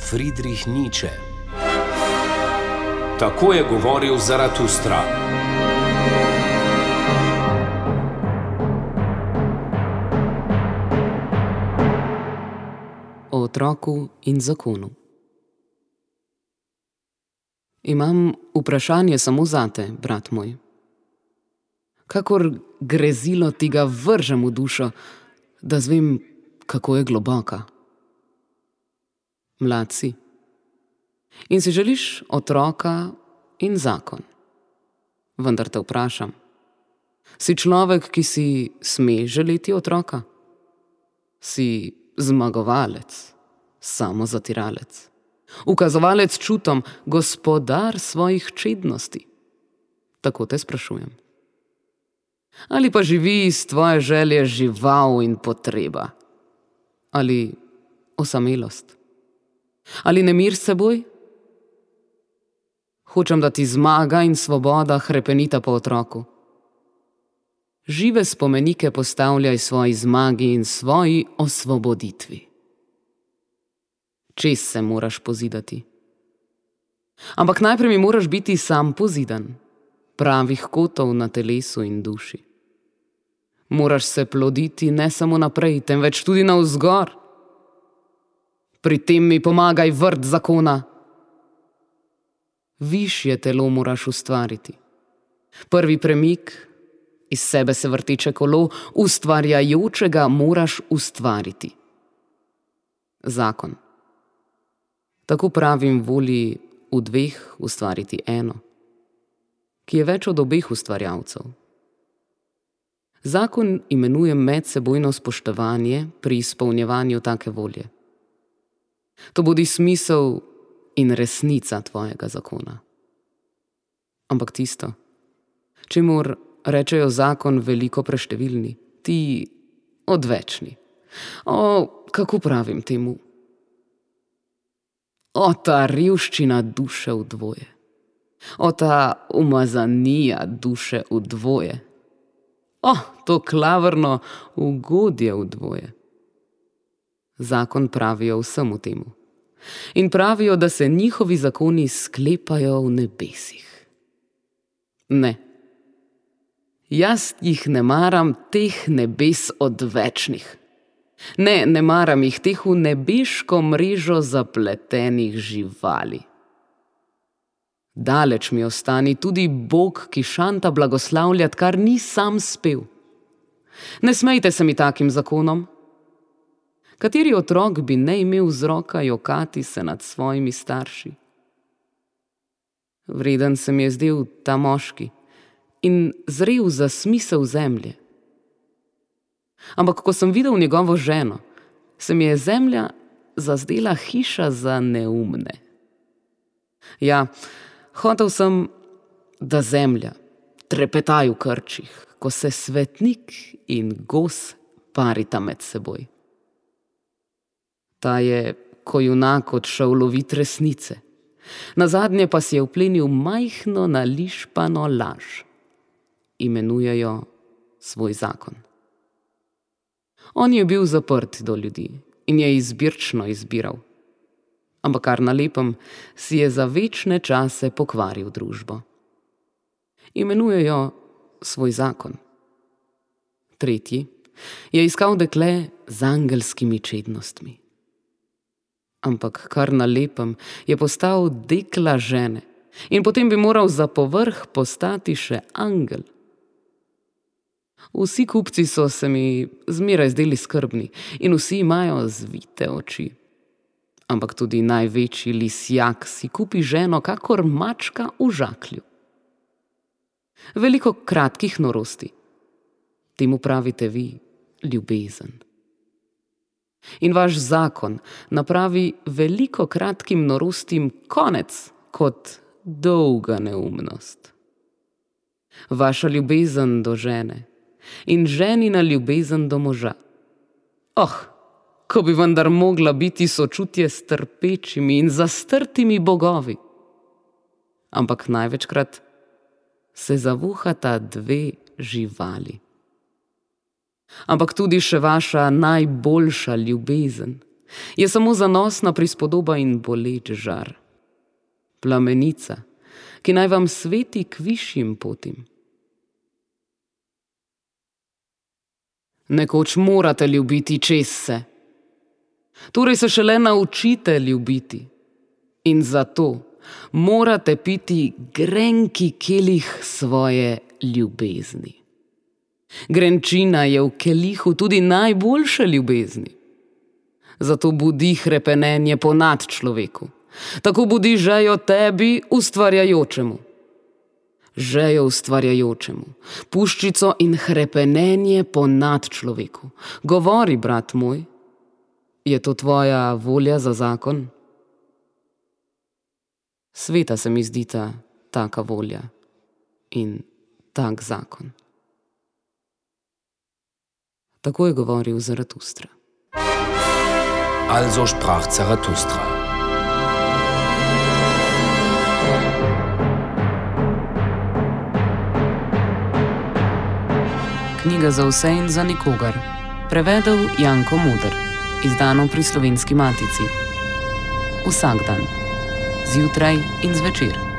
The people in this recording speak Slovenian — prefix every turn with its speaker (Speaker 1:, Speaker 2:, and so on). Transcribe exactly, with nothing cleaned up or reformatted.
Speaker 1: Friedrich Nietzsche. Tako je govoril Zaratustra.
Speaker 2: O otroku in zakonu. Imam vprašanje samo zate, brat moj. Kakor grezilo ti ga vržem v dušo, da zvem, kako je globoka. Mlad si. In si želiš otroka in zakon. Vendar te vprašam, si človek, ki si sme želeti otroka? Si zmagovalec, samozatiralec, ukazovalec čutom, gospodar svojih čednosti? Tako te sprašujem. Ali pa živi iz tvoje želje žival in potreba? Ali osamelost? Ali nemir s seboj? Hočem, da ti zmaga in svoboda hrepenita po otroku. Žive spomenike postavljaj svoji zmagi in svoji osvoboditvi. Čez se moraš pozidati. Ampak najprej mi moraš biti sam pozidan, pravih kotov na telesu in duši. Moraš se ploditi ne samo naprej, temveč tudi navzgor. Pri tem mi pomagaj vrt zakona. Višje telo moraš ustvariti. Prvi premik, iz sebe se vrteče kolo, ustvarjajočega moraš ustvariti. Zakon. Tako pravim volji v dveh ustvariti eno, ki je več od obeh ustvarjalcev. Zakon imenuje medsebojno spoštovanje pri izpolnjevanju take volje. To bodi smisel in resnica tvojega zakona. Ampak tisto, čemur rečejo zakon veliko preštevilni, ti odvečni. O, kako pravim temu? O, ta revščina duše v dvoje. O, ta umazanija duše v dvoje. O, to klavrno ugodje v dvoje. Zakon pravijo vsemu temu. In pravijo, da se njihovi zakoni sklepajo v nebesih. Ne. Jaz jih ne maram teh nebes odvečnih. Ne, ne maram jih teh v nebeško mrežo zapletenih živali. Daleč mi ostani tudi Bog, ki šanta blagoslavljat, kar ni sam spel. Ne smejte se mi takim zakonom. Kateri otrok bi ne imel vzroka jokati se nad svojimi starši? Vreden se mi je zdel ta moški in zrel za smisel zemlje. Ampak ko sem videl njegovo ženo, se mi je zemlja zazdela hiša za neumne. Ja, hotel sem, da zemlja trepetaj v krčih, ko se svetnik in gos parita med seboj. Ta je, ko junak odšel lovit resnice, nazadnje pa si je vplenil majhno nališpano laž. Imenujejo svoj zakon. On je bil zaprt do ljudi in je izbirčno izbiral. Ampak kar na lepem si je za večne čase pokvaril družbo. Imenujejo svoj zakon. Tretji je iskal dekle z angelskimi čednostmi. Ampak kar na lepem je postal dekla žene in potem bi moral za povrh postati še angel. Vsi kupci so se mi zmeraj zdeli skrbni in vsi imajo zvite oči. Ampak tudi največji lisjak si kupi ženo kakor mačka v žaklju. Veliko kratkih norosti. Temu pravite vi ljubezen. In vaš zakon napravi veliko kratkim norostim konec kot dolga neumnost. Vaša ljubezen do žene in ženina ljubezen do moža. Oh, ko bi vendar mogla biti sočutje s trpečimi in zastrtimi bogovi. Ampak največkrat se zavuhata dve živali. Ampak tudi še vaša najboljša ljubezen je samo zanosna prispodoba in boleč žar. Plamenica, ki naj vam sveti k višjim potim. Nekoč morate ljubiti čez se. Torej se šele naučite ljubiti. In zato morate piti grenki kelih svoje ljubezni. Grenčina je v kelihu tudi najboljše ljubezni. Zato budi hrepenenje po nadčloveku. Tako budi žejo tebi ustvarjajočemu. Žejo ustvarjajočemu, puščico in hrepenenje po nadčloveku. Govori, brat moj, je to tvoja volja za zakon? Sveta se mi zdita taka volja in tak zakon. Tako je govoril Zaratustra.
Speaker 1: Also sprach Zarathustra.
Speaker 2: Knjiga za vse in za nikogar. Prevedel Janko Moder. Izdano pri Slovenski matici. Vsak dan. Zjutraj in zvečer.